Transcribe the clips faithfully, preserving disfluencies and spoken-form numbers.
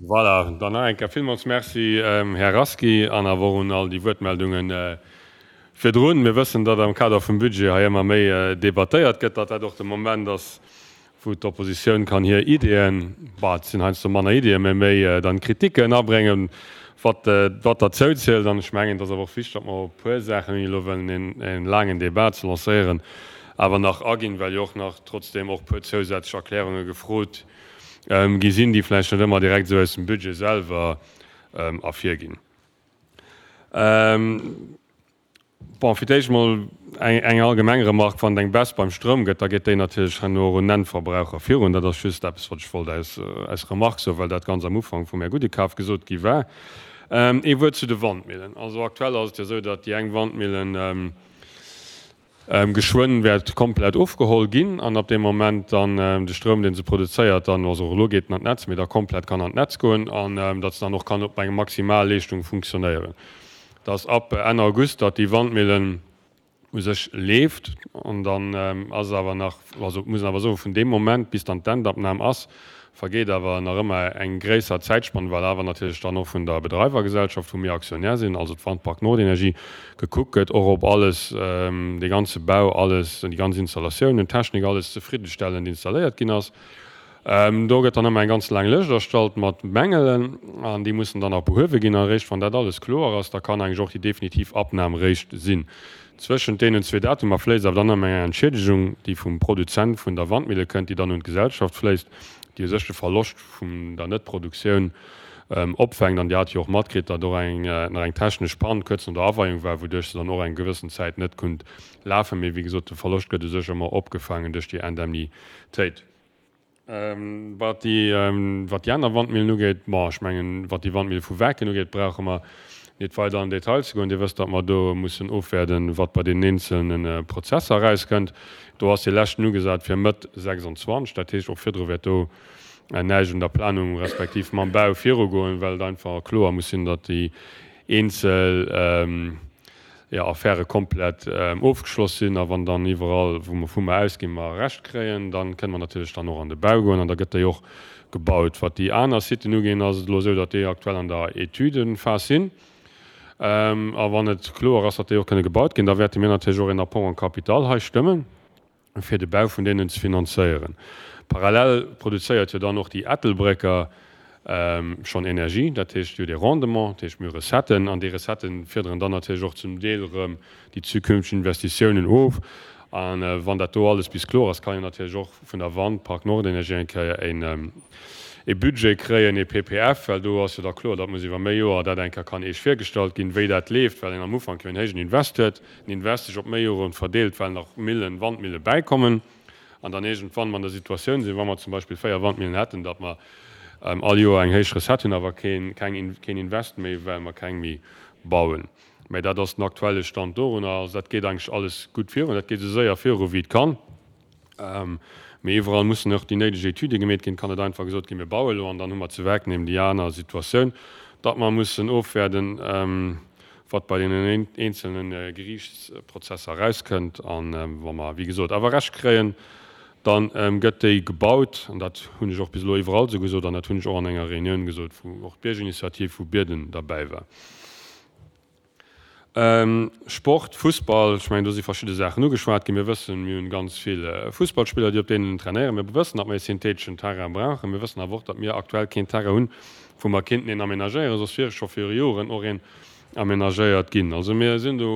Voilà, dann nach eng Kéier villmools Merci, Här Rasqui, an awer och un all déi Wuertmeldungen virdrun. Mir wëssen, datt am Kader vum Budget hei ëmmer méi debattéiert gëtt, datt dat och de Moment ass, wou d'Oppositioun kann hir Ideeën, bah, et sinn heiansdo manner Ideeën, mä méi dann Kritiken abréngen, wat wat derzou zielt. An ech mengen, et ass awer och wichteg, datt mer op e puer Saachen, ouni elo wëllen e laangen Débat ze lancéieren, awer nach aginn, well jo och nach trotzdeem och e puer zousätzlech Erklärunge gefrot gi sinn, déi vläicht net ëmmer direkt esou aus dem Budget selwer ervirginn. Bon, fir d'éischt emol eng allgemeng Remark, Wann et eng Baisse beim Stroum gëtt, da geet déi natierlech herno och un den Endverbraucher virun. Dat ass just eppes, wat ech wollt als Remark soen, well dat ganz am Ufank vum Här Gudekaf gesot gi war. Ee Wuert zu de Wandmillen. Also aktuell ass et jo esou, datt déi eng Wandmillen, geschwënn wäert komplett ofgeholl ginn an ab deem Moment dann de Stroum, dee se produzéiert, dann, also och elo geet en an d'Netz, mee da komplett kann an d'Netz goen an datt se dann och kann op eng Maximalleeschtung funktionéieren. Dass ab Enn August, datt déi Wandmillen u sech leeft an dann ass awer nach, also muss een awer soen, vun deem Moment bis dann d'Endabnam ass, vergeet awer nach ëmmer eng gréisser Zäitspann, well awer natierlech dann och vun der Bedreiwergesellschaft, wou mir Aktionär sinn, also d'Wandpark Nordenergie, gekuckt gëtt, och ob alles, dee ganze Bau, alles, déi ganz Installatiounen, d'Technik, alles zefriddestellend installéiert ginn ass. Do gëtt dann ëmmer eng ganz laang Lëscht erstallt mat Mängelen an déi mussen dann nach behuewe ginn. A réischt wann dat alles kloer ass, da kann eigentlech och déi definitiv Abnam réischt sinn. Zwëschent deenen zwee Datumer fléisst awer dann ëmmer eng Entschiedegung, déi vum Produzent vun der Wandmille kënnt, déi dann un d'Gesellschaft fléisst, déi u sech de Verloscht vun der Net-Produktioun opfänkt. An Dir hat jo och matkritt, datt och eng nach eng technesch Pann kuerz no der Aweiung war, wouduerch se dann och eng gewëssen Zäit net konnt lafen. Mee wéi gesot, de Verloscht gëtt u sech ëmmer opgefaangen duerch déi Indemnitéit. Wat déi, wat déi aner Wandmillen ugeet, bon, ech mengen, wat déi Wandmille vu Waarken ugeet, brauche mer net weider an den Detail ze goen. Dir wësst, datt mer do mussen ofwäerden, wat bei deenen eenzelne Prozesser erauskënnt. Do ass dee leschten ugesat fir Mëtt sechsundzwanzeg. Dat heescht, och virdru wäert do näischt un der Planung respektiv mam Bau virugoen, well et einfach kloer muss sinn, datt déi eenzel, jo, Affäre komplett ofgeschloss sinn. A wann dann iwwerall, wou mer vu mer ausginn, mer Recht kréien, da kënne mer natierlech dann och an de Bau goen an da gëtt déi och gebaut. Wat déi aner Siten uginn, ass et elo esou, datt déi aktuell an der Etüdephas sinn. A wann et kloer ass, datt déi och kënne gebaut ginn, da wäerte mir natierlech och een Apport en capital hei stëmmen, fir de Bau vun deenen ze finanzéieren. Parallel produzéiert jo dann och déi Ettelbrécker schonn Energie, dat heescht, jo, dee Rendement, dat heescht, mir hu Recetten, an déi Recettë fiederen dann natierlech och zum Deel erëm déi zukünfteg Investitiounen of. A wann dat do alles bis kloer ass, kann een natierlech och vun der Wandpark Nordenergie eng Kéier e Budget kréien, e P P F, well do ass jo da kloer, datt muss iwwer méi Joer dat eng Kéier kann eescht virgestallt ginn, wéi dat leeft, well een am Ufank jo en héijen Invest huet, den Invest sech op méi Jore verdeelt, well nach Millen, Wandmille bäikommen, an dann iergendwann mer an der Situatioun sinn, wa mer zum Beispill véier Wandmillen hätten, datt mer all Joer eng héich Recette hunn, awer keen, keng, keen Invest méi, well mer keng méi bauen. Mä dat ass den aktuelle Stand dorunner. Also dat geet eigentlech alles gutt virun. Dat geet esou séier viru wéi et kann. Mee iwwerall mussen och déi néideg Etüde gemeet ginn. Et kann net einfach gesot ginn, mir baue elo an dann hu mer zu Werkneem déi aner Situatioun, datt mer mussen ofwäerden, wat bei deenen eenzelne Geriichtsprozesser erauskënnt. A wa mer, wéi gesot, awer Recht kréien, da gëtt déi gebaut. An dat hunn ech och bis elo iwwerall esou gesot an dat hunn ech och an enger Reunioun gesot, wou och d'Biergerinitiativ vu Bierden derbäi war. Sport, Fussball, ech mengen, do si verschidde Saachen ugeschwat ginn. Mir wëssen, mir hunn ganz vill Fussballspiller, déi op deenen trainéieren. Mir wëssen, datt mer ee syntheteschen Terrain brauchen. Mir wëssen awer och, datt mir aktuell keen Terrain hunn, wou mer kéinten een amenagéieren, soss wier scho viru Joren och een amenagéiert ginn. Also mir sinn do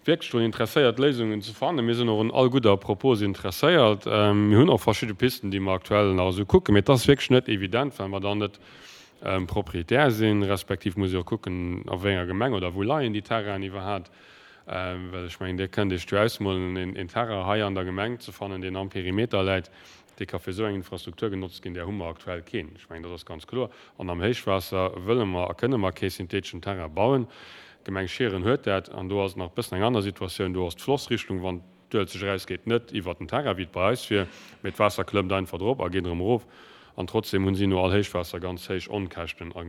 wierklech drun interesséiert, Léisungen ze fannen. Mir sinn och un all gudder Propos interesséiert. Mir hunn och verschidde Pisten, déi mer aktuell nach esou kucken, mee et ass wierklech net evident, well mer dann net Proprietär sinn, respektiv muss ee och kucken, a wéi enger Gemeng oder wou leien déi Terrainen iwwerhaapt. Well ech mengen, Dir kënnt Iech jo ausmolen, een Terrain hei an der Gemeng ze fannen, deen am Perimeter läit, dee ka fir esou eng Infrastruktur genotzt ginn, där hu mer aktuell keen. Ech mengen, dat ass ganz kloer. An am Héichwaasser wëlle mer a kënne mer kee syntheteschen Terrain bauen. D'Gemeng Schieren huet dat, an do ass et nach e bëssen eng aner Situatioun. Do ass d'Flossrichtung, wann d'Uelzecht erausgeet, net iwwert den Terrain, wéi et bei eis wier, mee d'Waasser klëmmt einfach drop a geet erëm erof. An trotzdem hunn si no all Héichwaasser ganz héich Onkäschten a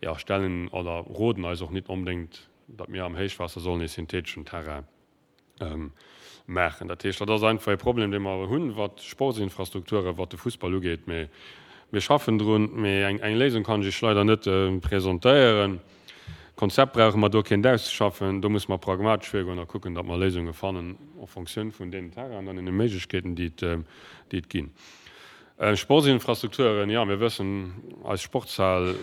jo, stellen oder roden eis och nit onbedéngt, datt mir am Héichwaasser sollen ee syntheteschen Terrain maachen. Dat heescht, dat ass einfach ee Problem, dee mer hunn, wat d'Sportsinfrastrukturen, wat de Fussball ugeet. Mee Mir schaffen drun, mee eng eng Léisung kann ech Iech leider net presentéieren. Konzept brauche mer do keent auszeschaffen, do musse mer pragmatesch virgoen a kucken, datt mer Léisunge fannen en Fonctioun vun deenen Terrainen an deene Méiglechkeeten, déi et déi et ginn. Sportsinfrastrukturen, jo, mir wëssen, eis Sportshal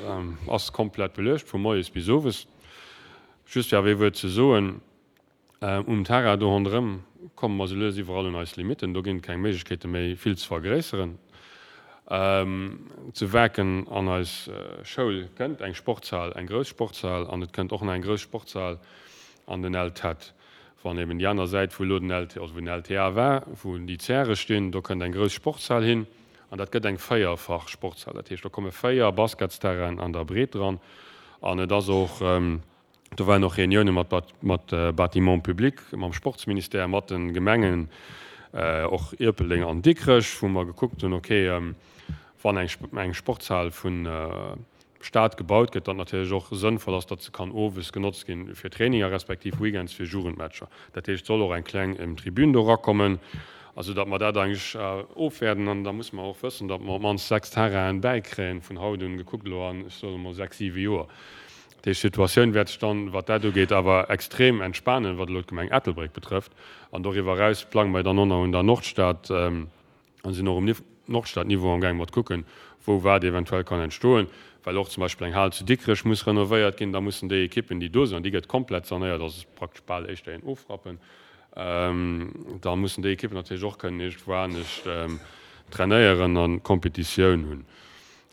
ass komplett beluecht vu moies bis owes. Just fir awer ee Wuert ze soen, Um Terrain do ronderëm komme mer sou lues iwwerall un eis Limitten. Do ginn et keng Méiglechkeete méi, vill ze vergréisseren. Zu Waarken an eis Schoul kënnt eng Sportshal, eng grouss Sportshal, an et kënnt och nach eng grouss Sportshal an den L T E D. Wann eben déi aner Säit, wou elo den L T, also wou den L T A war, wou déi Zäre stinn, do kënnt eng grouss Sportshal hin an dat gëtt eng véierfach Sportshal. Dat heescht, do komme véier Basketsterrainen an der Breet dran an et ass och, do waren och Reunioune mat mat Bâtiments publics, mam Sportsministère, mat de Gemengen, och Ierpeldeng an Dikrech, wou mer gekuckt hunn, okay, wann eng eng Sportshal vun Staat gebaut gëtt, datt natierlech och sënnvoll ass, datt se kann owes genotzt ginn fir Traininger respektiv weekends fir Jugendmatcher. Dat heescht, et soll och eng kleng Tribün do erakommen, also datt mer dat eigentlech ofwäerten. An da musse mer och wëssen, datt mer op d'mannst sechs Terrainen bäikréien vun haut un gekuckt elo an, ech soe mol, sechs, siwe Joer. Dat heescht, d'Situatioun wäert sech dann, wat dat ugeet, awer extrem entspanen, wat elo d'Gemeng Ettelbréck betrëfft. An doriwwer eraus plange mer dann och nach un der Nordstad a sinn och um Nordstad-Niveau amgaang mat kucken, wou wat eventuell kann entstoen, well och zum Beispill eng Hal zu Dikrech muss renovéiert ginn. Da mussen déi Ekippen, déi do sinn, an déi gëtt komplett sanéiert, also praktesch bal éischter een Ofrappen, da mussen déi Ekippen natierlech och kënnen iergendwou anescht trainéieren a Kompetitioun hunn.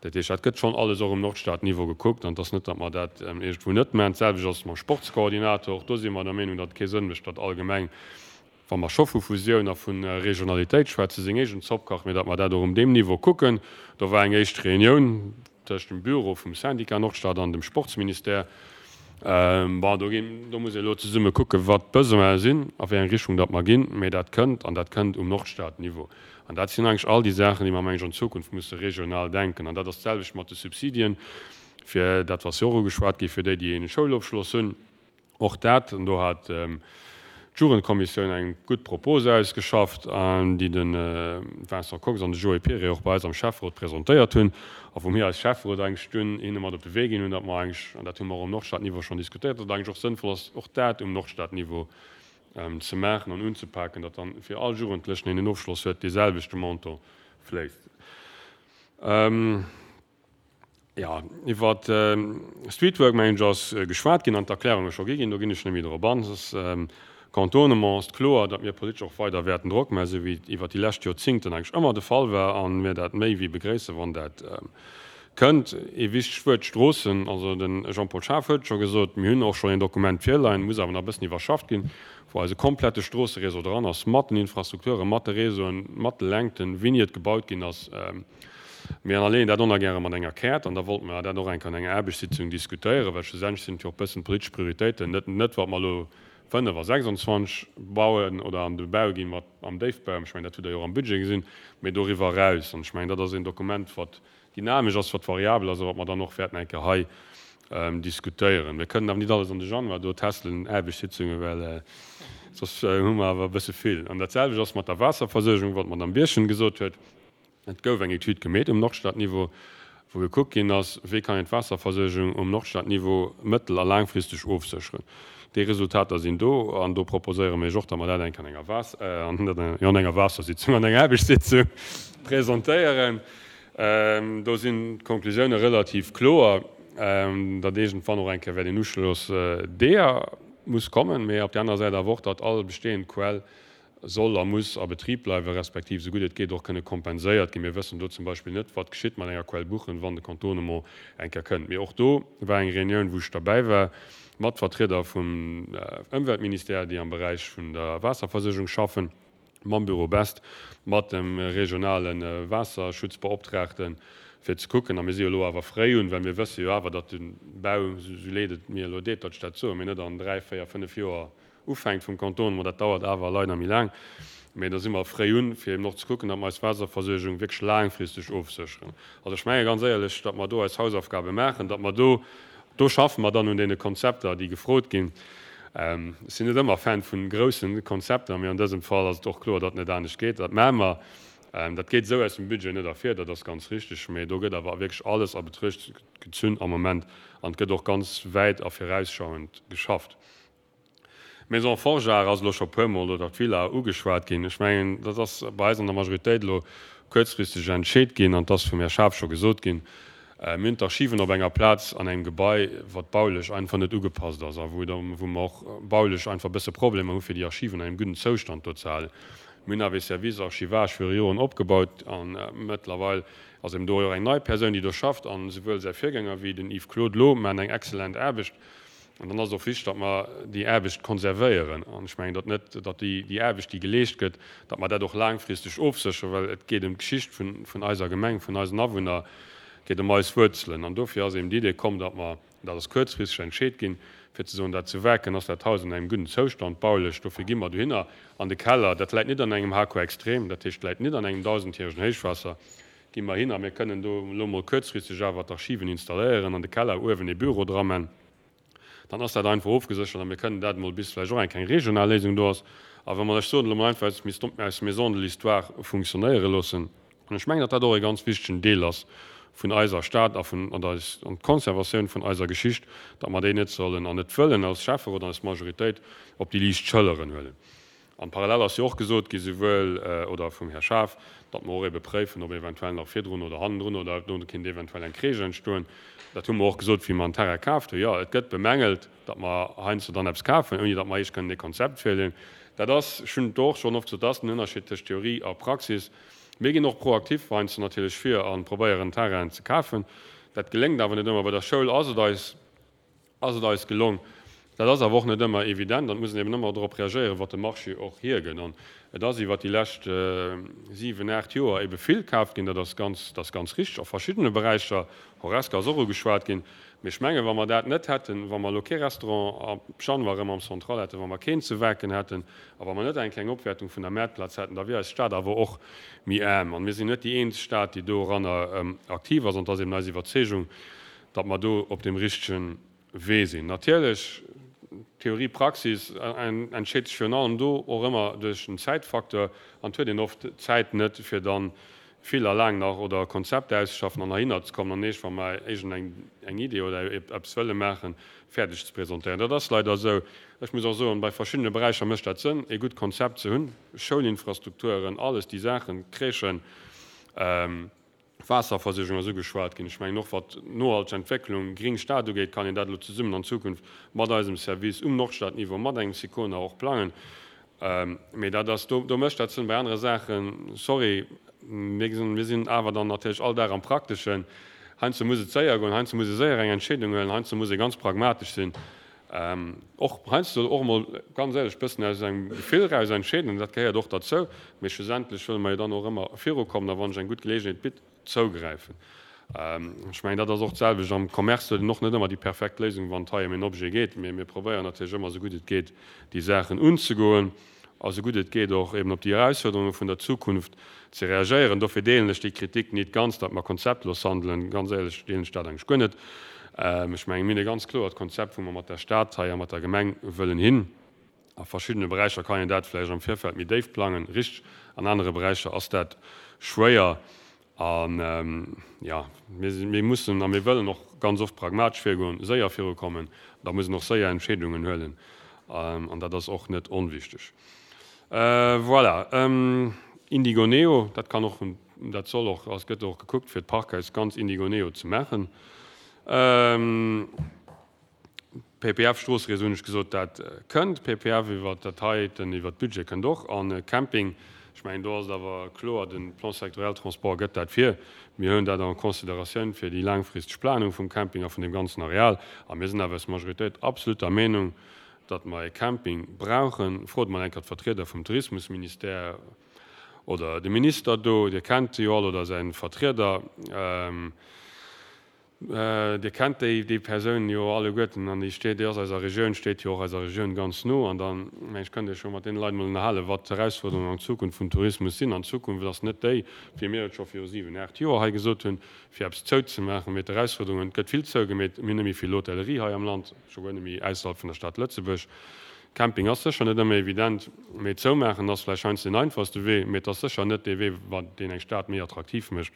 Dat heescht, dat gëtt schonn alles och um Nordstad-Niveau gekuckt an et ass net, datt mer dat iergendwou net maachen. D'selwecht ass et mam Sportskoordinator. Och do si mer der Meenung, datt et kee Sënn mécht, datt all Gemeng, wa mer scho vu Fusioun a vu Regionalitéit schwätzen, seng eegen Zopp kacht, mee datt mer dat och um deem Niveau kucken. Do war eng éischt Reunioun tëscht dem Büro vum Syndicat Nordstad an dem Sportsministère. Bon, do ginn, do muss ee elo zesumme kucken, wat d'Besoine sinn, a wéi eng Richtung datt mer ginn. Mee dat kënnt, an dat kënnt um Nordstad-Niveau. An dat sinn eigentlech all déi Saachen, déi mer, meng ech, an Zukunft musse regional denken. An dat ass d'selwecht mat de Subsidien, fir dat, wat jo och ugeschwat gi fir déi, déi ee Schoulofschloss hunn. Och dat, an do hat d'Jugendkommissioun eng gutt Propos ausgeschafft, déi de Vincent Kox an de Joé Piré och bei eis am Schäfferot presentéiert hunn a wou mir als Schäfferot eigentlech dunn hinne mat op de Wee ginn hunn, datt mer eigentlech, an dat hu mer och um Nordstadniveau schonn diskutéiert, datt et eigentlech och sënnvoll ass, och dat um Nordstadniveau ze maachen an unzepaken, datt dann fir all Jugendlechen, deen en Ofschloss huet, deeselwechte Montant fléisst. Jo, iwwer Streetwork, mengen ech, ass geschwat ginn an d'Erklärunge scho gi ginn. Do ginn ech net méi drop an. Soss Contournement ass kloer, datt mir politesch och weider wäerten Drock maachen, esou wéi et iwwer déi lescht Joerzingten eigentlech ëmmer de Fall war a mir dat méi wéi begréissen, wann dat kënnt. Ee wichtegt Wuert, d'Stroossen. Also de Jean-Paul Schaaf huet et scho gesot, mir hunn och schonn een Dokument virleien, muss awer nach e bëssen iwwerschafft ginn, wou eise komplette Stroosseréseau dran ass, mat den Infrastrukturen, mat de Réseauen, mat de Längten, wéini et gebaut ginn ass. Mir ënnerleeën dat onergäre mat enger Käert an da wollte mer dat och eng Kéier an enger Aarbechtssitzung diskutéieren, well schlussendlech sinn et jo och e bëssen politesch Prioritéiten, net net wat mer elo fënnef a sechsundzwanzeg bauen oder an de Bau ginn, mat am Déifbau, ech mengen dat hutt Der jo och am Budget gesinn, mee doriwwer eraus. An ech mengen, dat ass een Dokument, wat dynamesch ass, wat variabel ass a wat mer dann och wäerten eng Kéier hei diskutéieren. Mir kënnen awer net alles an de Januar do testelen, Aarbechtssitzungen, well soss hu mer awer e bësse vill. An dat selwecht ass mat der Waasserversuergung, wat d'Madame Birchen gesot huet. Et gouf eng Etüd gemeet um Nordstadniveau, wou gekuckt ginn ass, wéi kann een d'Waasserversuergung um Nordstadniveau mëttel a laangfristeg ofsécheren. Déi Resultater sinn do an do proposéiere mir iech och, datt mer dat eng Kéier an enger Waas-, jo, an enger Waassersitzung, an enger Aarbechtssitzung presentéieren. Do sinn d'Konklusioune relativ kloer, datt iergendwann och eng Kéier wäert een Uschloss deeër muss kommen, mee op där anerer Säit awer och, datt all bestehend Quell soll a muss a Betrib bleiwen, respektiv esou gutt et geet och kënne kompenséiert ginn. Mir wëssen do zum Beispill net, wat geschitt mat enger Quell Buchen, wann de Contournement eng Kéier kënnt. Mee och do war eng Reunioun, wou ech derbäi war, mat Vertrieder vum Ëmweltministère, déi am Beräich vun der Waasserversuergung schaffen, mam Büro Best, mat dem regionale Waasserschutzbeoptraagten, fir ze kucken, a mir si jo elo awer fréi un, well mir wësse jo awer, datt de Bau, esou leed et mir elo deet, datt ech dat soen, mee net an dräi, véier, fënnef Joer ufänkt vum Kanton, ma dat dauert awer leider méi laang, mä da si mer fréi un, fir eben och ze kucken, datt mer eis Waasserversuergung wierklech laangfristeg ofsécheren. Also ech menge ganz éierlech, datt mer do eis Hausaufgabe maachen, datt mer do, do schaffe mer dann un deene Konzepter, déi gefrot ginn. Ech sinn net ëmmer Fan vu grousse Konzepter, mä an dësem Fall ass et och kloer, datt et net anescht geet. Dat maache mer. Dat geet esou aus dem Budget net ervir, dat ass ganz richtig, mee do gëtt awer wierklech alles a Betruecht gezunn am Moment an et gëtt och ganz wäit a virausschauend geschafft. D'Maison Forgeard ass elo scho puermol, oder d'Villa, ugeschwat ginn. Ech mengen, dat ass bei eis an der Majoritéit elo kuerzfristeg entscheet ginn an et ass vum Här Schaaf scho gesot ginn, Mir hunn d'Archiven op enger Plaz an engem Gebai, wat baulech einfach net ugepasst ass a wou wou mer och baulech einfach e bësse Problemer hu fir déi Archiven an engem gudden Zoustand do ze halen. Mir hunn awer ee Service Archivage viru Joren opgebaut a mëttlerweil ass eben do och eng nei Persoun, déi do schafft an esouwuel säi Virgänger wéi den Yves Claude elo maachen eng excellent Aarbecht. An dann ass et och wichteg, datt mer déi Aarbecht konservéieren. An ech mengen, datt net, datt déi, déi Aarbecht, déi geleescht gëtt, datt mer dat och laangfristeg ofsécheren, well et geet ëm d'Geschicht vun, vun eiser Gemeng, vun eisen Awunner, et geet ëm eis Wuerzelen. An dofir ass eben d'Idee komm, datt mer, dat ass kuerzfristeg entscheet ginn, fir ze soen, dat zu Werken ass dat Haus an engem gudden Zoustand baulech, dofir gi mer dohinner an de Keller. Dat läit net an engem H K extrem, dat heescht, läit net an engem dausendjäregen Héichwaasser, gi mer hin a mir kënnen do elo mol kuerzfristeg awer d'Archiven installéieren, an de Keller uewen ee Büro dra man. Dann ass dat einfach ofgeséchert a mir kënnen dat emol, bis vläicht och eng kleng regional Léisung do ass, a wa mer, ech soen elo mol einfach, eis Maison de l'Histoire funktionéiere loossen. An ech mengen, datt dat och e ganz wichtegen Deel ass vun eiser Stad a vun an eis an d'Conservatioun vun eiser Geschicht, datt mer déi net sollen an net wëllen als Schäfferot an als Majoritéit op déi liicht Schëlleren huelen. An parallel ass jo och gesot gi souwuel oder vum Här Schaaf, datt mer och ebe préifen, ob eventuell nach virdrun oder hannendrun oder do kéint eventuell eng Crèche entstoen. Dat hu mer och gesot, wéi mer en Terrain kaaft hunn. Jo, et gëtt bemängelt, datt mer heiansdo dann eppes kafen, ouni datt mer eréischt kënnen e Konzept virleeën. Dat ass, ech hunn et och schonn oft gesot, dat ass den Ënnerscheed tëscht Theorie a Praxis. Mir ginn och proaktiv heiansdo natierlech vir a probéieren, Terrainen ze kafen. Dat geléngt awer net ëmmer. Bei der Schoul ass et eis, ass et eis gelong. Dat ass awer och net ëmmer evident an et muss een eben ëmmer dorop reagéieren, wat de Marché och hiergëtt. An et ass iwwert déi lescht siwen, aacht Joer ebe vill kaaft ginn, dat ass ganz, dat ass ganz richtig, a verschiddene Beräicher. Horesca ass och ugeschwat ginn. Mee ech mengen, wa mer dat net hätten, wa mer elo kee Restaurant ab Januar erëm am Central hätten, wa mer keen zu Waarken hätten a wa mer net eng kleng Opwäertung vun der Mäertplaz hätten, da wier eis Stad awer och méi aarm. An mir sinn net déi eenzeg Stad, déi doranner aktiv ass. An et ass eben eis Iwwerzeegung, datt mer do op deem richtegen Wee sinn. Natierlech, Theorie, Praxis entscheet sech virun allem do och ëmmer duerch den Zäitfacteur an et huet een oft d'Zäit net, fir dann vill a laang nach oder Konzepter auszeschaffen an heihinner ze kommen an eescht, wa mer iergend eng eng Idee oder eppes wëlle maachen, fäerdeg ze presentéieren. Dat ass leider esou. Ech muss och soen, bei verschiddene Beräicher mécht dat Sënn, ee gutt Konzept ze hunn, Schoulinfrastrukturen, alles déi Saachen, Crèchen, Waasserversuergung ass ugeschwat ginn. Ech mengen och, wat nohalteg Entwécklung, gring Stad ugeet, kann een dat elo zesummen an Zukunft mat eisem Service um Nordstadniveau, mat engem Sicona och plangen. Mee dat ass, do, do mécht dat Sënn. Bei anere Saachen, sorry, mir gesinn, mir sinn awer dann natierlech all Dag am Prakteschen. Heiansdo muss et séier goen, heiansdo muss ee séier eng Entscheedung huelen, heiansdo muss ee ganz pragmatesch sinn. Och heiansdo och emol, ganz éierlech, e bëssen aus engem Gefill eraus entscheeden, dat gehéiert och derzou. Mee schlussendlech wëlle mer jo dann och ëmmer virukommen a wann sech eng gutt Geleegenheet bitt, zougräifen. Ech mengen, dat ass och d'selwecht am Commerce, do huet een och net ëmmer déi perfekt Léisung, wann et hei ëm en Objet geet. Mee mir probéieren natierlech ëmmer, esou gutt et geet, déi Saachen unzegoen a esou gutt et geet och eben op déi Erausfuerderunge vun der Zukunft ze reagéieren. Dofir deelen ech déi Kritik nit ganz, datt mer konzeptlos handelen. Ganz éierlech deelen ech dat eigentlech guer net. Ech mengen, mir hunn e ganz kloert Konzept, wou mer mat der Stad hei a mat der Gemeng wëllen hin. A verschiddene Beräicher kann een dat vläicht am Virfeld méi déif plangen, richteg. An anere Beräicher ass dat schwéier. An, jo, mir mussen a mir wëllen och ganz oft pragmatesch virgoen, séier virukommen. Da muss een och séier Entscheedungen huelen. An dat ass och net onwichtig. Voilà. Indigoneo, dat kann och, dat soll och, ass, gëtt och gekuckt, fir d'Parkhaus ganz Indigoneo ze maachen. P P F-Stroossereseau hunn ech gesot, dat kënnt. P P F iwwert dat heiten, iwwert d'Budget kënnt och. An Camping, ech mengen, do ass et awer kloer, de Plan sectoriel Transport gëtt dat vir. Mir huelen dat en considératioun fir déi laangfristeg Planung vum Camping a vun deem ganzen Areal. A mir sinn awer als Majoritéit absolut der Meenung, datt mer e Camping brauchen. Frot mol eng Kéier d'Vertrieder vum Tourismusministère oder de Minister do, Dir kennt se jo all, oder säi Vertrieder. Dir kennt déi, déi Persoun jo alleguerten an déi steet, déi ass eiser Regioun, steet jo och eiser Regioun ganz no. An dann, mengen ech, kënnt Dir scho mat deene Leit emol ënnerhalen, wat d'Erausfuerderungen an Zukunft vum Tourismus sinn. An d'Zukunft ass net déi, wéi mir et scho viru siwen, aacht Joer hei gesot hunn, fir eppes zouzemaachen, mee d'Erausfuerderungen, et gëtt vill zougemeet, mir hunn net méi vill Hotellerie hei am Land, scho guer net méi ausserhalb vun der Stad Lëtzebuerg. Camping ass sécher net ëmmer evident, mee zoumaachen ass vläicht heiansdo deen einfachste Wee, mee et ass sécher net dee Wee, wat deen eng Stad méi attraktiv mécht.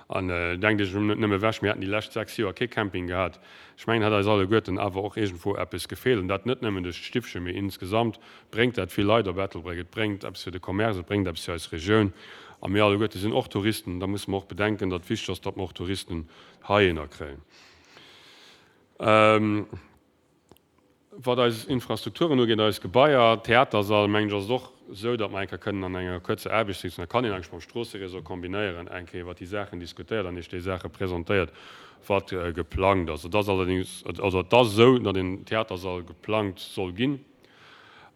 An denkt Iech elo net nëmme ewech, mir hätten déi lescht sechs Joer kee Camping gehat. Ech mengen, hätt eis alleguerten awer och iergendwou eppes gefeelt. An dat net nëmmen duerch d'Stiffchen, mee insgesamt bréngt dat vill Leit op Ettelbréck. Et bréngt eppes fir de Commerce, et bréngt eppes fir eis Regioun. A mir alleguerte sinn och Touristen. Da musse mer och bedenken, datt wichteg ass, datt mer och Touristen heihinner kréien. Wat eis Infrastrukturen ugeet, eis Gebaier, Theatersall, mengen ech, ass et och esou, datt mer eng Kéier kënnen an enger kuerzer Aarbechtssitzung, dat kann een eigentlech mam Stroosseréseau kombinéieren, eng Kéier iwwert déi Saachen diskutéiert an Iech déi Saache presentéiert, wat geplangt ass. Et ass allerdéngs, also et ass esou, datt een Theatersall geplangt soll ginn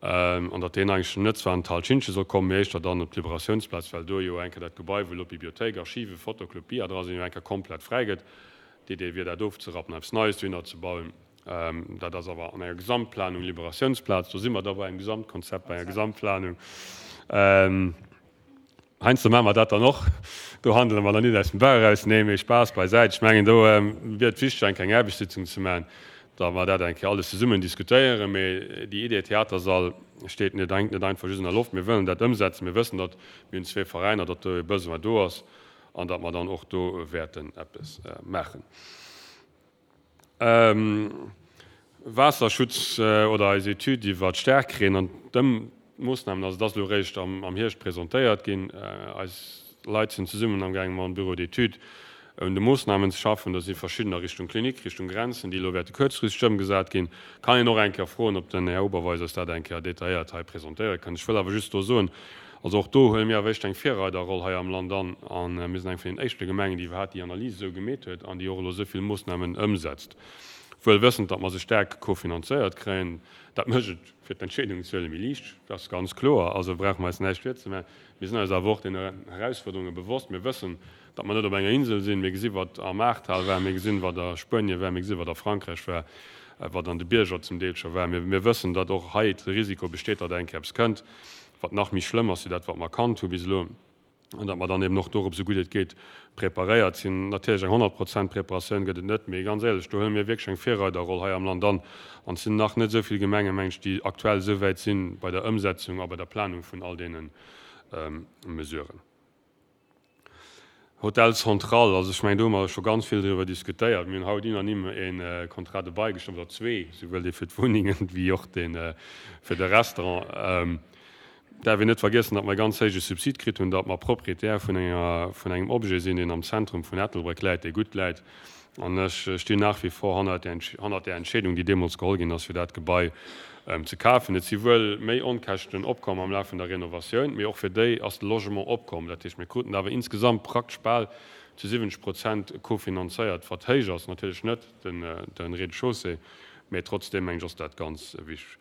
an datt deen eigentlech net zwar an d'Hal Schintgen soll kommen, mee éischter dann op d'Liberatiounsplaz, well do jo eng Kéier dat Gebai, wou elo d'Bibliothéik, Archiven, Fotoclub, Bia dra sinn, jo eng Kéier komplett fräi gëtt. D'Idee wier, dat ofzerappen, eppes Neies dohinner ze bauen. Dat ass awer an enger Gesamtplanung Liberatiounsplaz. Do si mer da bei engem Gesamtkonzept, bei enger Gesamtplanung. Heiansdo maache mer dat dann och. Do handele mer dann nit aus dem Bauch eraus. Nee, mee Spaass beisäit. Ech mengen, do wier et wichteg, eng kleng Aarbechtssitzung ze maachen, datt mer dat eng Kéier alles zesummen diskutéieren. Mee déi Idee Theatersall steet net, hänkt net einfach just an der Loft. Mir wëllen dat ëmsetzen. Mir wëssen, datt mir hunn zwee Veräiner, datt do e Besoin do ass an datt mer dann och do wäerten eppes maachen. Waasserschutz oder eis Etüd iwwer d'Staarkreen an d'Ëmmoosnamen, also et ass elo eréischt am Hierscht presentéiert ginn. Eis Leit sinn zesummen amgaangen mam Bureau d'études un de Moossnamen ze schaffen. Do si verschiddener Richtung Klinik, Richtung Grenzen, déi elo wäerte kuerzfristeg ëmgesat ginn. Kann een och eng Kéier froen, ob den Här Oberweis eis dat eng Kéier detailléiert hei presentéiere kënnt. Ech wëll awer just do soen, also och do huele mir awer éischt eng Virreiderroll hei am Land an a mir sinn eng vun den éischte Gemengen, déi iwwerhaapt déi Analys esou gemeet huet an déi och elo esou vill Moossnamen ëmsetzt, wuel wëssend, datt mer se staark kofinanzéiert kréien. Dat mécht et fir d'Entscheedungen ze huele méi liicht, dat ass ganz kloer. Also brauche mer eis näischt virzemaachen. Mir sinn eis awer och deene Erausfuerderunge bewosst. Mir wëssen, datt mer net op enger Insel sinn. Mir gesi wat am Ahrtal war, mir gesinn, wat a Spuenie war, mir gesi wat a Frankräich war, wat an de Bierger zum Deel scho war. Mir wëssen, datt och hei de Risiko besteet, datt eng Kéier eppes kënnt, wat nach méi schlëmm ass wéi dat, wat mer kannt hu bis elo, an datt mer dann eben och dorop esou gutt et geet preparéiert sinn. Natierlech, eng honnert Prozent Preparatioun gëtt et net, mee ganz éierlech, do huele mir wierklech eng Virreiderroll hei am Land an. An et sinn nach net esou vill Gemengen, meng ech, déi aktuell esou wäit si bei der Ëmsetzung a bei der Planung vun all deene Mesuren. Hotel Central, also ech mengen, do hu mer scho ganz vill driwwer diskutéiert. Mir hunn haut unanime e Contrat de bail gestëmmt, oder zwee, souwuel dee fir d'Wunnengen wéi och dee fir de Restaurant. Et däerf een net vergiessen, datt mer e ganz héije Subsid kritt hunn, datt mer Proprietär vun enger, vun engem Objet sinn, deen am Zentrum vun Ettelbréck läit, dee gutt läit. An ech stinn nach wie vor hannert där, hannert där Entscheedung, déi deemools geholl ginn ass, fir dat Gebai ze kafen. Et si wuel méi Onkäschten opkomm am Laf vun der Renovatioun, mee och fir déi ass de Logement opkomm. Dat heescht, mir kruten awer insgesamt praktesch bal zu siwwenzeg Prozent kofinanzéiert, wat héich ass, natierlech net den, de Rez-de-chaussée, mee trotzdeem, mengen ech, ass dat ganz wichteg.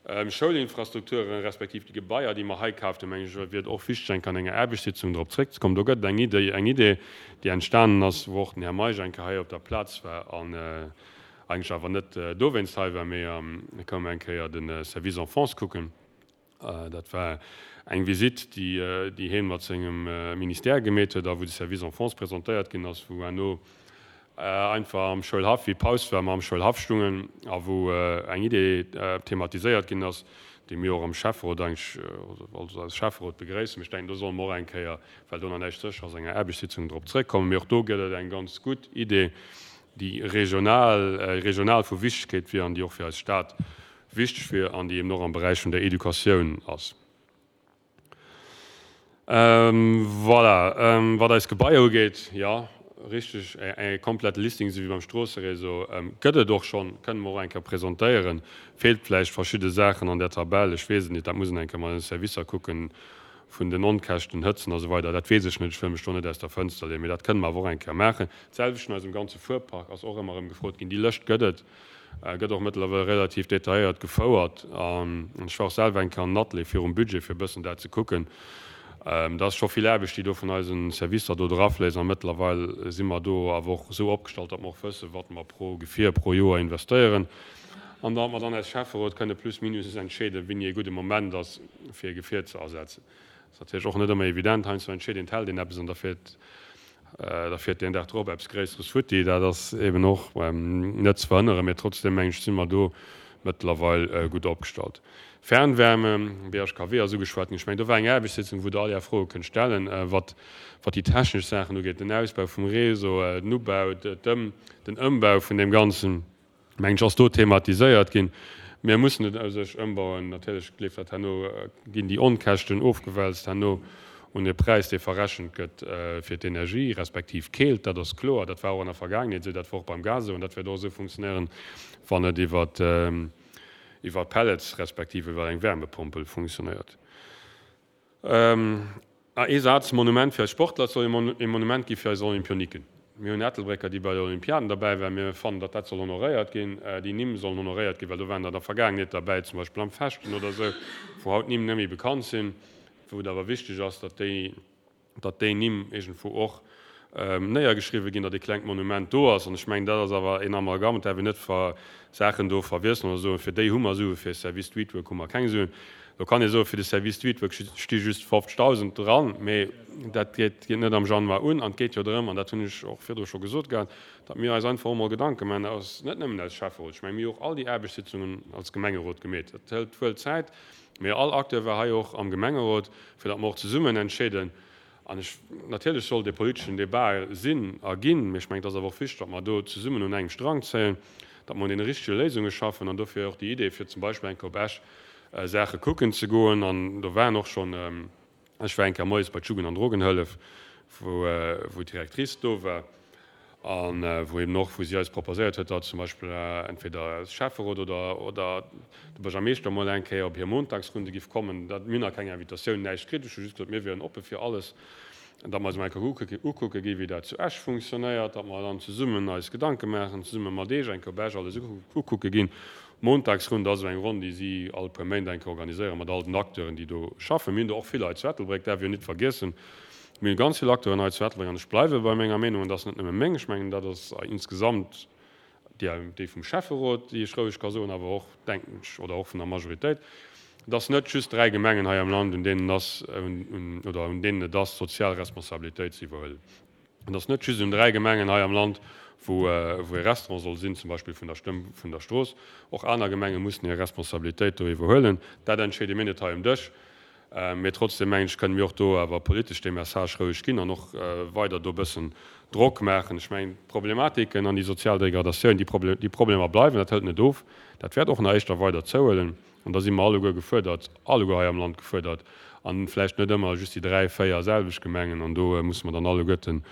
Schoulinfrastrukturen, respektiv déi Gebaier, déi mer hei kaaft hunn, mengen ech, wier et och wichteg, eng Kéier an enger Aarbechtssitzung drop zréckzekommen. Do gëtt et eng Idee, eng Idee, déi entstanen ass, wou och den Här Meisch eng Kéier hei op der Plaz war an eigentlech awer net dowéinst hei war, mee e koum eng Kéier de Service Enfance kucken. Dat war eng Visitt, déi, déi hien mat sengem Ministère gemeet huet a wou de Service Enfance presentéiert ginn ass, wou herno einfach am Schoulhaff, wéi Paus war, mer am Schoulhaff stungen a wou eng Idee thematiséiert ginn ass, déi mir och am Schäfferot eigentlech, also als Schäfferot begréissen. Ech denken, do solle mer och eng Kéier, well do nach näischt sécher ass, enger Aarbechtssitzung drop zréckkommen. Mee och do gëtt et eng ganz gutt Idee, déi regional, regional vu Wichtegkeet wier an déi och fir eis Stad wichteg wier an déi eben och am Beräich vun der Educatioun ass. Voilà, wat eis Gebaier ugeet, jo, richteg, e komplette Listing, esou wéi beim Stroosseréseau, gëtt et och schonn, kënne mer och eng Kéier presentéieren. Feelt vläicht verschidde Saachen an där Tabell, ech weess et net, dat muss een eng Kéier mat den Servicer kucken, vun den Onkäschten, Hëtzen a sou weider, dat weess ech net, ech wëll mech do net aus der Fënster leeën, mee dat kënne mer awer och eng Kéier maachen. D'selwecht vun eisem ganze Fuerpark ass och ëmmer erëm gefrot ginn. Déi Lëscht gëtt et. Gëtt och mëttlerweil relativ detailléiert gefouert. An ech war och selwer eng Kéier an den Atelier virum Budget, fir e bëssen dat ze kucken. Dat ass scho vill Aarbecht, déi do vun eise Servicer do drafléisst. A mëttlerweil si mer do awer och esou opgestallt, datt mer och wëssen, wat mer pro Gefier pro Joer investéieren. An datt mer dann als Schäfferot kënne plus minus entscheeden, wéini e gudde Moment ass, fir e Gefier ze ersetzen. Dat ass natierlech och net ëmmer evident. Heiansdo entscheet een, et hält een eppes an da fiert Da fiert deen Dag drop eppes Gréisseres futti. Dat ass eben och net ze verhënneren. Mee trotzdem, mengen ech, si mer do mëttlerweil gutt opgestallt. Fernwärme, B H K W ass ugeschwat ginn. Ech mengen, do war eng Aarbechtssitzung, wou Der all Är Froe kënnt stellen, wat wat déi technesch Saachen ugeet, den Ausbau vum Réseau, den Ubau, den Ëmbau vun deem Ganzen, mengen ech, ass do thematiséiert ginn. Mir mussen et u sech ëmbauen. Natierlech leeft dat herno, ginn déi Onkäschten ofgewälzt herno un e Präis, dee verrechent gëtt fir d'Energie respektiv d'Keelt. Dat ass kloer. Dat war och an der Vergaangenheet esou, dat war och beim Gas esou an dat wäert och esou funktionéieren, wann et iwwer iwwer Pellets respektiv iwwer eng Wärmepompel funktionéiert. A ee Saz, Monument fir eis Sportler, et soll e Monument gi fir eis Olympioniken. Mir hunn Ettelbrécker, déi bei de Olympiaden derbäi waren. Mir fannen, datt dat soll honoréiert ginn. Déi Nimm sollen honoréiert ginn, well do waren der an der Vergaangenheet derbäi, zum Beispill am Fechten oder esou, wou haut d'Nimm net méi bekannt sinn, wou et awer wichteg ass, datt déi, datt déi Nimm iergendwou och néiergeschriwwen ginn, datt e klengt Monument do ass. An ech mengen, dat ass awer een Amalgam, et däerf een net Saachen do verwiesselen oder soen, fir déi hu mer Suen, fir e Service Streetwork hu mer keng Suen. Do kann ee soen, fir de Service Streetwork sti just fofzegdausend dran, mee dat geet net am Januar un. An et geet jo drëm, an dat hunn ech och virdru scho gesot gehat, datt mir eis einfach och mol Gedanke maachen, aus, net nëmmen als Schäfferot, ech mengen, mir hu och all déi Aarbechtssitzungen als Gemengerot gemeet. Dat hëlt wuel Zäit, mee all Acteur war hei och am Gemengerot, fir datt mer och zesummen entscheeden. An ech, natierlech soll dee politeschen Debat sinn a ginn, mee ech mengen, et ass awer och wichteg, datt mer do zesummen un engem Strang zéien, datt mer un deene richtege Léisunge schaffen. An dofir och déi Idee, fir zum Beispill eng Kéier op Esch Saache kucken ze goen. An do waren och schonn, ech war eng Kéier moies bei d'Jugend an Drogenhëllef, wou, wou d'Directrice do war a wou eben och, wou si eis proposéiert huet, datt zum Beispill entweder de Schäfferot oder, oder de Buergermeeschter mol eng Kéier op hir Montagsrunde giff kommen. Dat, mir hunn nach keng Invitatioun, näischt kritt. Ech hu just gesot, mir wieren oppe fir alles, datt mer eis mol eng Kéier ukucke gi wéi dat zu Esch funktionéiert, datt mer dann zesummen eis Gedanke maachen, zesumme mat Eech eng Kéier op Esch alles ukucke ginn. Montagsrunde ass esou eng Ronn, déi si all puer Méint eng Kéier organiséieren, mat all den Acteuren, déi do schaffen. Mir hunn do och vill Leit zu Ettelbréck, däerf een jo nit vergiessen. Mir hunn ganz vill Acteuren hei zu Ettelbréck an ech bleiwe bei menger Meenung, an dat ass net nëmme meng, ech mengen, dat ass insgesamt déi, déi vum Schäfferot, déi ech roueg ka soen, awer och, denken ech, oder och vun der Majoritéit, dass net just dräi Gemengen hei am Land, un deenen ass, un, oder un deenen et ass, sozial Responsabilitéit ze iwwerhuelen. Et ass net just un dräi Gemengen hei am Land, wou, wou e Restaurant soll sinn, zum Beispill vun der Stëmm vun der Strooss. Och aner Gemenge mussen hir Responsabilitéit do iwwerhuelen. Dat entscheede mir net hei um Dësch. Mee trotzdem, mengen ech, kënne mir och do awer politesch dee Message roueg ginn an och weider do e bëssen Drock maachen. Ech mengen, d'Problematiken an déi sozial Degradatioun, déi Problemer bleiwen, dat hëlt net of. Dat wäert och nach éischter weider zouhuelen. An da si mer alleguer gefuerdert, alleguer hei am Land gefuerdert, an vläicht net ëmmer just déi dräi, véier selwecht Gemengen. An do musse mer dann alleguerten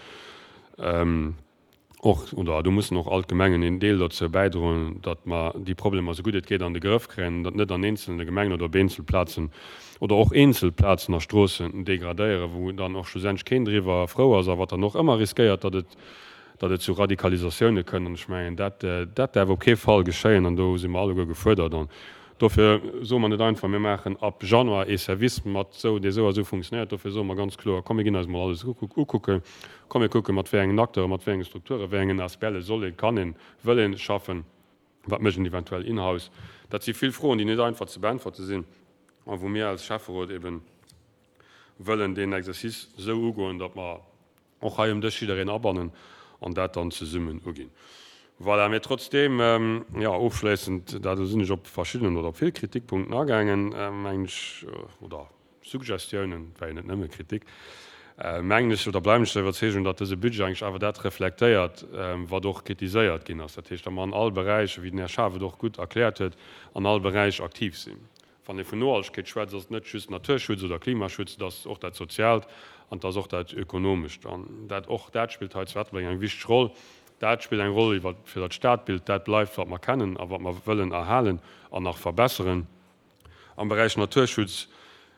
och, oder do mussen och all d'Gemengen een Deel dozou bäidroen, datt mer déi Problemer esou gutt et geet an de Grëff kréien, datt net an eenzelne Gemengen oder op eenzel Plazen oder och eenzel Plazen a Stroossen degradéieren, wou dann och schlussendlech keen driwwer frou ass a wat dann och ëmmer riskéiert, datt et, datt et zu Radikalisatioune kënnt. An ech mengen, dat, dat däerf op kee Fall geschéien an do si mer alleguer gefuerdert. An dofir soe mer net einfach, mir maachen ab Januar ee Service mat esou, dee esou a esou funktionéiert. Dofir soe mer ganz kloer, komm mir ginn eis mol alles ukucken, komm mir kucken, mat wéi engen Acteuren, mat wéi enge Strukturen, wéi engen A S B L soll een, kann een, wëll een schaffen, wat mécht een eventuell in-house. Dat si vill Froen, déi net einfach ze beäntwerte sinn a wou mir als Schäfferot eben wëllen deen Exercice esou ugoen, datt mer och hei um Dësch jiddereen abannen an dat dann zesummen uginn. Voilà, mee trotzdeem, jo, ofschléissend, dat do sinn ech op verschiddenen oder op vill Kritikpunkten agaangen, mengen ech, oder Suggestiounen, et war jo net nëmme Kritik, mengen ech oder bleiwen ech der Iwwerzeegung, datt dëse Budget eigentlech awer dat reflektéiert, wat och kritiséiert ginn ass. Dat heescht, datt mer an all Beräich, wéi den Här Schaaf et och gutt erkläert huet, an all Beräich aktiv sinn. Wann ee vun Nohaltegkeet schwätzt, ass et net just Naturschutz oder Klimaschutz, et ass och dat Soziaalt an et ass och dat Ökonomescht. An dat, och dat spillt hei zu Ettelbréck eng wichteg Roll. Dat spillt eng Roll iwwer, fir datt d'Stadbild dat bleift, wat mer kennen a wat mer wëllen erhalen an nach verbesseren. Am Beräich Naturschutz,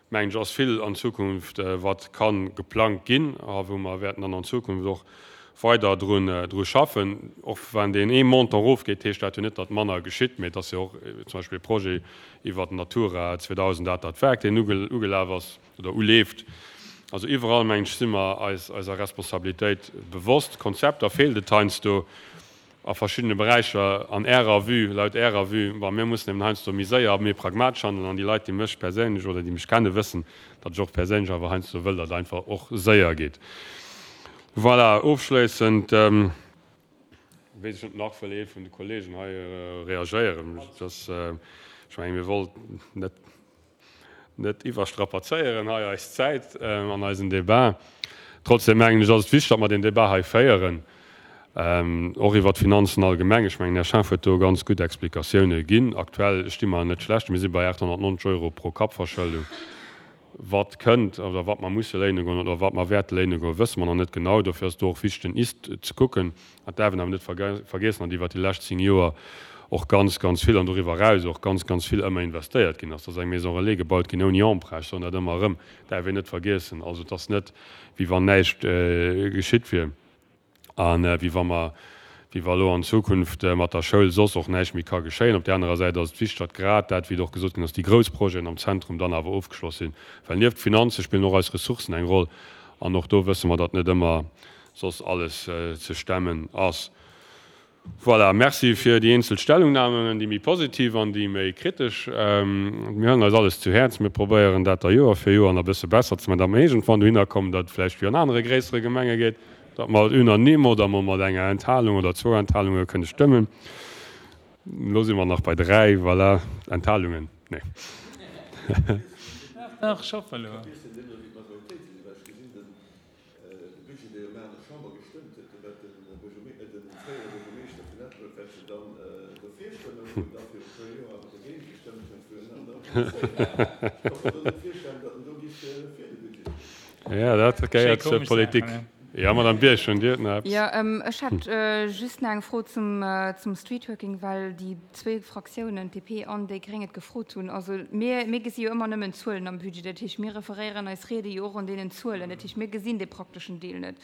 mengen ech, ass vill an Zukunft, wat ka geplangt ginn a wou mer wäerten dann an Zukunft och weider drun, dru schaffen. Och wann deen ee Montant erofgeet, heescht dat jo net, datt manner geschitt, mee et ass jo och zum Beispill e Projet iwwert Natura zweedausend, dat dat Werk, deen ugelaf ass oder uleeft. Also iwwerall, mengen ech, si mer eis eiser Responsabilitéit bewosst. Konzepter feelt et heiansdo a verschiddene Beräicher an Ärer Vue, laut Ärer Vue. Bon, mir mussen eben heiansdo méi séier a méi pragmatesch handeln. An déi Leit, déi mech perséinlech oder déi mech kennen, wëssen, datt ech och perséinlech awer heiansdo wëll, datt et einfach och séier geet. Voilà, ofschléissend Weess ech net, nach wëll ee vun de Kollegen hei reagéieren. Dass, ech mengen, mir wollten net, net iwwerstrapazéieren hei eis Zäit an eisen Débat. Trotzdem mengen ech, ass et wichteg, datt mer deen Débat hei féieren, och iwwert d'Finanzen allgemeng. Ech mengen, den Här Schaaf huet do ganz gutt Explikatioune ginn. Aktuell sti mer net schlecht. Mir si bei achthonnertneunzeg Euro pro Kapp-Verschëldung. Wat kënnt oder wat mer musse léine goen oder wat mer wäerte léine goen, wësse mer nach net genau. Dofir ass et do och wichteg, den Ist ze kucken. Dat däerf een awer net vergiessen, datt iwwert déi lescht zéng Joer och ganz, ganz vill an doriwwer eraus och ganz, ganz vill ëmmer investéiert ginn ass. Et ass eng Maison relais gebaut ginn ouni Emprunt. Ech soen dat ëmmer erëm, däerf een net vergiessen. Also et ass net, wéi wann näischt geschitt wier a wéi wa mer, wéi wa elo an Zukunft mat der Schoul soss och näischt méi ka geschéien. Op där anerer Säit ass et wichteg, datt grad dat, wéi et och gesot ginn ass, déi grouss Projeten am Zentrum dann awer ofgeschloss sinn, well nieft Finanze spillen och eis Ressourcen eng Roll an och do wësse mer, datt net ëmmer soss alles ze stemmen ass. Voilà, merci fir déi eenzel Stellungnahmen, déi méi positiv an déi méi kritesch. Mir huelen eis alles zu Häerz. Mir probéieren dat da Joer fir Joer nach e bësse besser ze maachen, datt mer iergendwann dohinner kommen, datt et vläicht wéi an anere gréissere Gemenge geet, datt mer unanime oder mol mat enger Enthalung oder zwou Enthalunge kënne stëmmen. Elo si mer nach bei dräi, voilà, Enthalungen. Nee. Dach, ech hoffen elo. Ja, dat gehéiert zur Politik. Ja, Madame Birch, hunn Dir nach eppes? Jo, ech hätt just nach eng Fro zum, zum Streetworking, well déi zwee Fraktiounen, D P an déi Gréng, et gefrot hunn. Also mir, mir gesi jo ëmmer nëmmen Zuelen am Budget. Dat heescht, mir referéieren eis Riede jo och un deenen Zuelen. Dat heescht, mir gesinn dee prakteschen Deel net.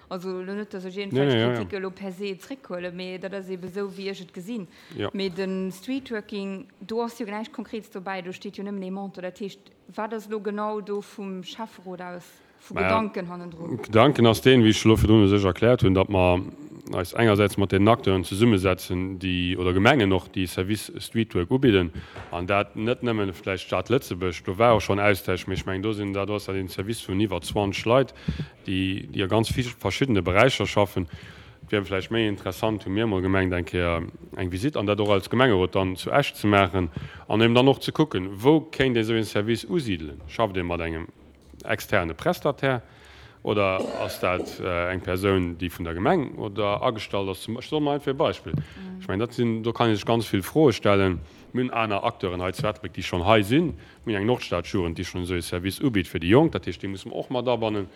Also elo net, datt ech iergendwelch Kritik elo per se zréckhuelen, mee dat ass eebe sou, wéi ech et gesinn. Mee de Streetworking, do ass jo näischt Konkretes dobäi, do steet jo nëmmen ee Montant. Dat heescht, wat ass elo genau do vum Schäfferot aus vu Gedanken hannendrun? Gedanken ass deen, wéi ech elo virdrun u sech erkläert hunn, datt mer eis engersäits mat deenen Acteuren zesummesetzen, déi, oder Gemengen och, déi Service Streetwork ubidden, an dat net nëmmen vläicht d'Stad Lëtzebuerg, do war och schonn Austausch, mee ech mengen, do sinn, dat ass dat een Service vun iwwer zwanzeg Leit, déi, déi a ganz verschiddene Beräicher schaffen. Et wier vläicht méi interessant, hu mir emol gemengt, eng Kéier eng Visite, an dat och als Gemengerot dann zu Esch ze maachen, an eben dann och ze kucken, wou kéint ee sou een Service usidelen. Schafft ee mat engem externe Prestataire oder ass dat eng Persoun, déi vun der Gemeng oder agestallt ass? Ech soen emol einfach e Beispill. Ech mengen, dat sinn, do kann ee sech ganz vill Froe stellen. Mir hunn aner Acteuren hei zu Ettelbréck, déi schonn hei sinn. Mir hunn eng Nordstadjugend, déi schonn esou ee Service ubitt fir déi Jonk. Dat heescht, déi musse mer och mat abannen.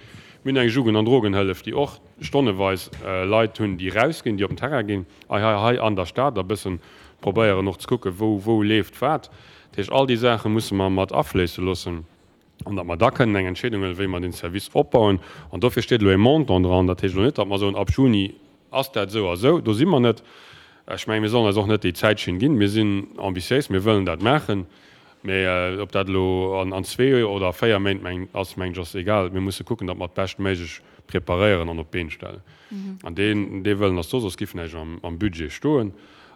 Mir hunn eng Jugend an Drogenhëllef, déi och stonneweis Leit hunn, déi rausginn, déi op den Terrain ginn, hei, hei, hei an der Stad a bëssen probéieren och ze kucken, wou, wou leeft wat. Dat heescht, all déi Saache musse mer mat afléisse loossen an datt mer da kënnen eng Entscheedung huelen, wéi mer deen Service opbauen. An dofir steet elo e Montant dran. Dat heescht elo net, datt mer soen, ab Juni ass dat esou a esou. Do si mer net. Ech mengen, mir sollen eis och net déi Zäitschinn ginn. Mir sinn ambitiéis, mir wëllen dat maachen. Mee ob dat elo an zwee oder véier Méint meng ass, mengen ech, ass egal. Mir musse kucken, datt mer et beschtméiglech preparéieren an op d'Been stellen. An deen, dee Wëllen ass do, soss giff näischt am Budget stoen.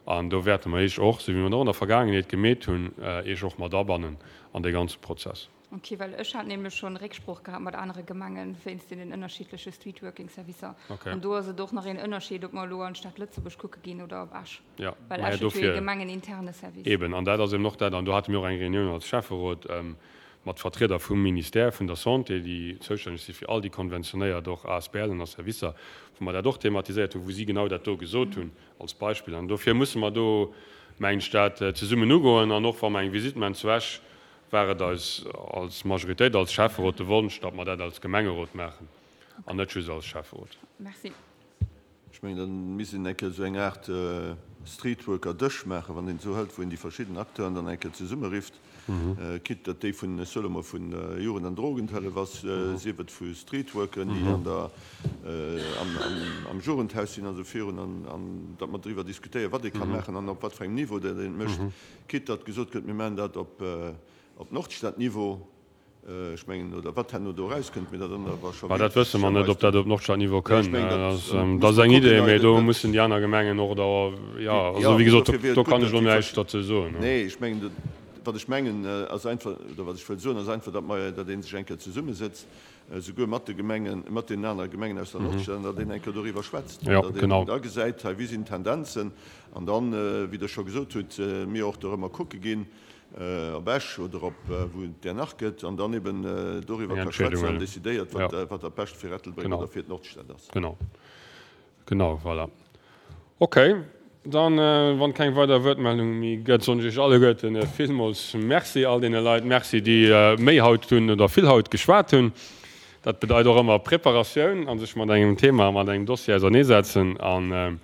An do wäerte mer Iech och, esou wéi mer et och an der Vergaangenheet gemeet hunn, Iech och mat abannen an dee ganze Prozess. Ok, well ech hat nämlech schonn Récksprooch gehat mat anere Gemengen wéinst deenen ënnerschiddleche Streetworking-Servicer. An do ass et och nach een Ënnerscheed, ob mer elo an d'Stad Lëtzebuerg kucke ginn oder op Esch. Ja, Well maja, Esch huet jo ee dofir. gemengeninterne Service. Eben, an dat ass eben och dat, an do hate mir och eng Reunioun als Schäfferot mat Vertrieder vum Ministère vun der Santé, déi zoustänneg si fir all déi konventionéiert och A S B Len a Servicer, wou mer dat och thematiséiert hunn, wou si genau dat do gesot hunn als Beispill. An dofir musse mer do, mengen ech, dat zesummen ugoen. An och wa mer eng Visite maachen zu Esch, war et eis als Majoritéit, als Schäfferot de Wonsch, datt mer dat als Gemengerot maachen an net just als Schäfferot. Merci. Ech mengen, da misst een eng Kéier esou eng Aart Streetworker-Dësch maachen, wann een et esou hëlt, wou een déi verschidden Acteuren dann eng Kéier zesummerifft, quitte datt déi vun, ech soe lo mol, vun Jugend an Drogenhëllef ass, sief et vu Streetworkeren, déi an der, am, am Jugendhaus sinn a sou virun, an, an datt mer driwwer diskutéieren, wat ee ka maachen an op wat fir engem Niveau dat een et mécht, quitte datt gesot gëtt, mir maachen dat op, op Nordstad-Niveau. Ech mengen, oder wat herno do erauskënnt, mee dat anere war scho Mä dat wësse mer net, ob dat op Nordstadniveau Nee, ech kënnt. mengen, Dat dat ass, muss dat ass mer eng kucken. Idee, mee do Dat, mussen déi aner Gemengen och da, jo, also jo, wéi gesot, dofir wier do et gutt, kann ech datt elo déi näischt verschi-, derzou soen. nee, ech mengen, dat, wat ech mengen, ass einfach, oder wat ech wëll soen, ass einfach, datt mer, datt ee sech eng Kéier zesummesëtzt, esouguer mat de Gemengen, mat deenen anere Gemengen aus der Nordstad, an datt een eng Kéier doriwwer schwätzt, an datt een da gesäit, hei, wéi sinn d'Tendenzen, an dann, wéi Der scho gesot hutt, mir och dorëmmer kucke ginn, op Esch oder op wou et där nach gëtt, an dann eben doriwwer ka schwätzen an decidéiert, wat dat Bescht fir Ettelbréck oder fir d'Nordstad ass. Genau. Genau, voilà. Okay, dann, wann keng weider Wuertmeldung méi gëtt, soen ech Iech alleguerten villmools Merci, all deene Leit Merci, déi méi haut hunn oder vill haut geschwat hunn. Dat bedeit och ëmmer Preparatioun a sech mat engem Thema, mat engem Dossier auserneesetzen. A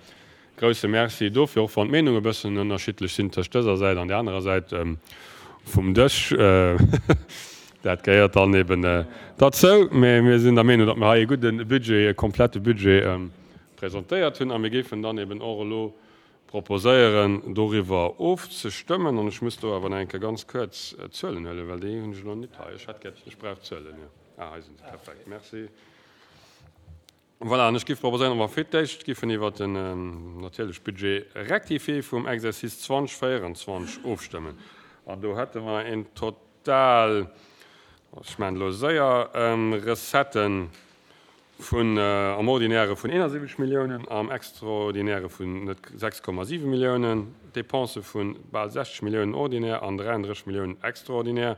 grouse Merci dofir, och wann d'Meenunge e bëssen ënnerschiddlech sinn tëscht dëser Säit an där anerer Säit vum Dësch. Dat gehéiert dann eben derzou. Mä mir sinn der Meenung, datt mir hei e gudde Budget, e komplette Budget presentéiert hunn a mir géifen dann eben och elo proposéieren, doriwwer ofzestëmmen. An ech muss do awer nach eng Kéier ganz kuerz d'Zuelen huelen, well déi hunn ech elo net hei. Ech hätt gär, ech brauch d'Zuelen, jo. Ah, hei sinn se, perfekt, merci. Voilà, an ech géif proposéieren, datt mer fir d'éischt géifen iwwert den natierlech Budget rectifié vum Exercice zwanzeg véierundzwanzeg ofstëmmen. An do hätte mer een Total, ech maachen elo séier, Recetten vun am Ordinäre vun eenasiwwenzeg Milliounen, am Extraordinäre vun net sechs Komma siwe Milliounen, Dépensë vu bal sechzeg Milliounen ordinär an dräiandrësseg Milliounen extraordinär,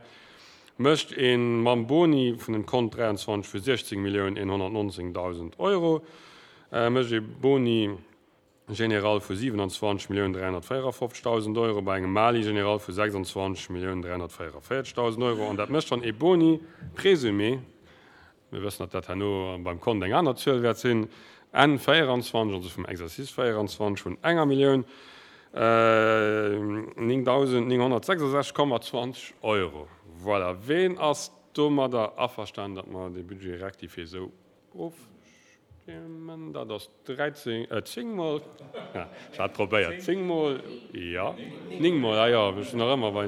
mécht ee mam Boni vun dem Kont dräiandzwanzeg vu siechzéng Milliounen eenhonnertnonzéngdausend Euro, mécht ee Boni général vu siwenanzwanzeg Milliounen dräihonnertvéierafofzegdausend Euro bei engem Mali général vu sechsandzwanzeg Milliounen dräihonnertvéierveierzegdausend Euro an dat mécht dann ee Boni présumé, mir wëssen, datt dat herno beim Kont eng aner Zuel wäert sinn, Enn véieranzwanzeg, also vum Exercice véieranzwanzeg, vun enger Millioun néngdausendnénghonnertsechsasechzeg Komma zwanzeg Euro. Voilà. Ween ass domadder averstanen, datt mer dee Budget rectifié esou ofstëmmen? Dat ass dräizéng, zéng mol, ech hat probéiert, zéng mol jo, néng mol, ah jo, ech sinn nach ëmmer bei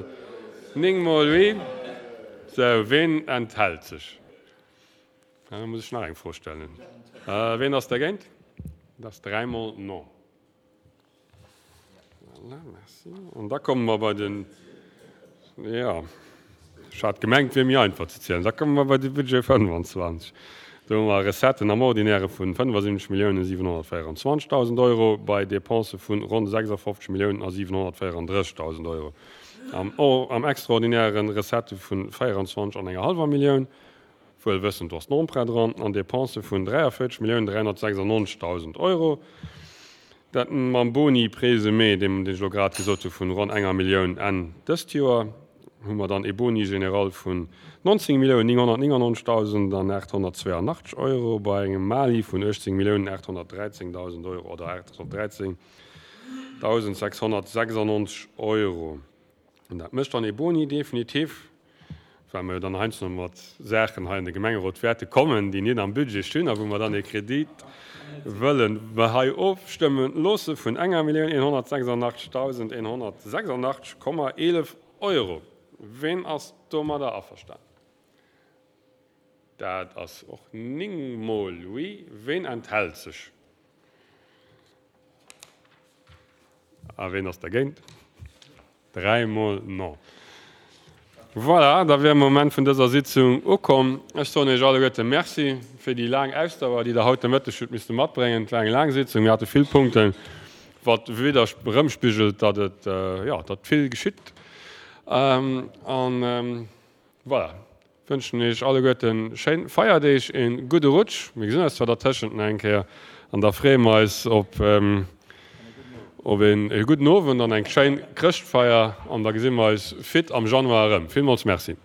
néng mol oui. Sou, ween enthält sech? Da muss ech nach eng Fro stellen. Ween ass dergéint? Dat ass dräimol non. Voilà, merci. An da komme mer bei den, jo, ech hat gemengt, et wier méi einfach ze zielen. Da komme mer bei de Budget fënnefanzwanzeg. Do hu mer Recetten am Ordinäre vu fënnefasiwwenzeg Milliounen siwenhonnertvéieranzwanzegdausend Euro bei Dépensë vu ronn sechsafofzeg Milliounen a siwenhonnertvéierandrëssegdausend Euro. Am, am Extraordinäre Recettë vu véieranzwanzeg an enger hallwer Millioun, wuel wëssend, do ass den Emprunt dran, an Dépensë vun dräiavéierzeg Milliounen dräihonnertsechsannonzegdausend Euro. Dat mam Boni présumé, deem deen ech elo grad gesot hu vun ronn enger Millioun Enn dëst Joer, hu mer dann ee Boni général vun nonzéng Milliounen nénghonnertnéngannonzegdausend an aathonnertzweeanachtzeg Euro bei engem Mali vun uechtzéng Milliounen aathonnertdräizéngdausend Euro oder aathonnertdräizéngdausend sechshonnertsechsannonzeg Euro. An dat mécht dann ee Boni definitif, well mer jo dann heiansdo mat Saachen hei an de Gemengerot wäerte kommen, déi net am Budget stinn a wou mer dann ee Kredit wëllen hei ofstëmme loosse vun enger Millioun eenhonnertsechsannachtzegdausend eenhonnertsechsannachtzeg Komma eelef Euro. Ween ass domadder averstanen? Dat ass och néng Mol oui. Ween enthält sech? A ween ass dergéint? Dräi Mol non. Voilà, da wier Moment vun dëser Sitzung ukomm. Ech soen Iech alleguerte Merci fir déi laang Ausdauer, déi Der haut de Mëtteg hutt misste matbréngen. Et war eng laang Sitzung, mir hate vill Punkten, wat widder erëmspigelt, datt et, jo, datt vill geschitt. An voilà, wënschen Iech alleguerte schéin Feierdeeg, ee gudde Rutsch. Mir gesinn eis zwar dertëschent nach eng Kéier an da freeë mer eis op op een gudden Owend an eng schéin Chrëschtfeier an da gesi mer eis fit am Januar erëm. Villmools Merci.